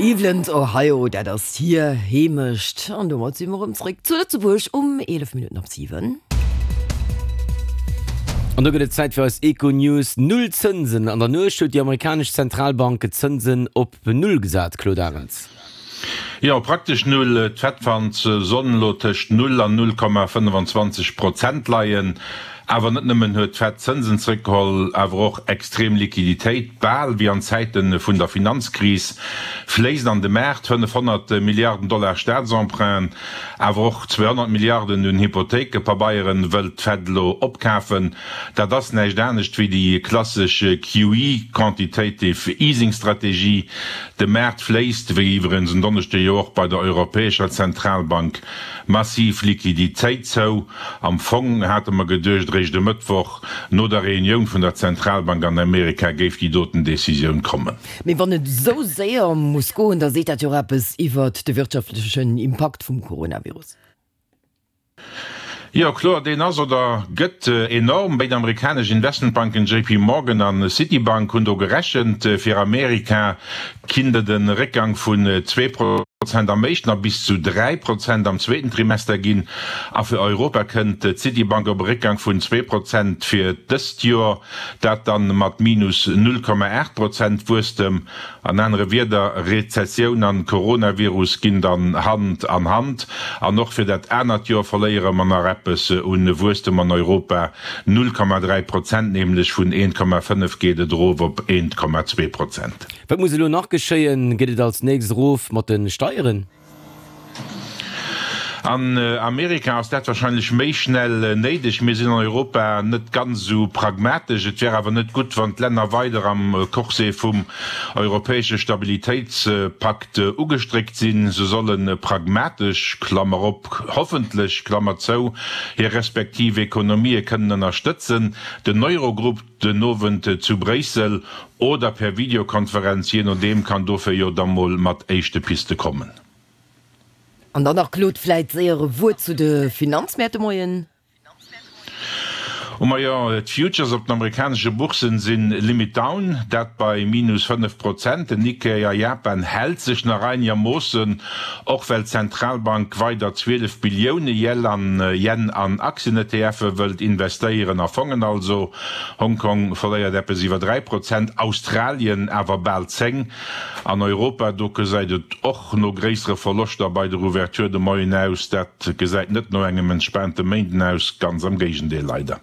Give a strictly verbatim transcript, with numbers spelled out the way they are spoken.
Cleveland, Ohio, dat ass hir Heemecht. An domat si mer erëm zréck zu Lëtzebuerg um eelef Minutten op siwen. An do gëtt et Zäit fir eis Econews. Null Zënsen, An der Nuecht huet déi amerikanesch Zentralbank d'Zënsen op Null gesat, Claude Arends. Jo, praktesch Null. D'Fed fannt se sollen elo tëscht Null an null Komma fënnefenzwanzeg Prozent leien. Awer net nëmmen huet d'Fed d'Zënsen zréckgeholl, awer och extrem Liquiditéit, bal wéi an Zäite vun der Finanzkris, fléisst an de Maart. fënnefhonnert Milliarden Dollar Staatsemprunten, awer och zweehonnert Milliarden un Hypothéikepabeieren wëllt d'Fed elo opkafen. Dat ass näischt anescht wéi déi klassesch Q E, Quantitative Easing Strategie. De Maart fléisst, wéi iwwerens en Donneschde jo och bei der Europäescher Zentralbank, massiv Liquiditéit zou. Am Fong hate mer geduecht, eréischt e Mëttwoch no der Reunioun vun der Zentralbank an Amerika géif déi doten Decisioun kommen. Mee wann et esou séier muss goen, da seet dat jo och eppes iwwert de wirtschaftlechen Impakt vum Coronavirus. Jo, kloer, deen ass oder gëtt enorm. Béid amerikanesch Investmentbanken J P Morgan a Citibank hunn do gerechent, fir Amerika kinnt et e Réckgang vun zwee Prozent am éischten a bis zu dräi Prozent am zweeten Trimester ginn. A fir Europa kënnt d'Citibank op e Réckgang vun zwee Prozent fir dëst Joer, dat dann mat minus null Komma aacht Prozent Wuesstem. An anere Wierder, Rezessioun an Coronavirus ginn dann Hand an Hand. An och fir dat anert Joer verléiere mer nach eppes un Wuesstem an Europa, null Komma dräi Prozent nämlech, vun eent Komma fënnef geet et erof op eent Komma zwee Prozent. Wat muss elo nach geschéien? Geet et als nächst erof mat de Steieren? An Amerika ass dat wahrscheinlech méi schnell néideg. Mir sinn an Europa net ganz esou pragmatesch. Et wär awer net gutt, wann d'Länner weider am Corset vum europäesche Stabilitéitspakt ugestréckt sinn. Se solle pragmatesch, Klammer op, hoffentlech, Klammer zou, hir respektiv Ekonomië kënnen ënnerstëtzen. Den Eurogrupp den Owend zu Bréissel oder per Videokonferenz, jee nodeem, kann dofir jo da mol mat éischte Piste kommen. An dann nach, Claude, vläit séier e Wuert zu de Finanzmäert de Moien. Oh majo, d'Futures op den amerikanesche Bourssen si limit down, dat bei minus fënnef Prozent. Den Nikkei a Japan hält sech nach einegermoossen, och well d'Zentralbank weider zwielef Billioune Yen an Aktien-E T F'e wëllt investéieren, a Fongen also. Hongkong verléiert eppes iwwer dräi Prozent, Australien awer bal zéng. An Europa, do gesäit et och no gréissere Verloschter bei der Ouverture de Moien aus. Dat gesäit net no engem entspaante Méinden aus, ganz am Géigendeel leider.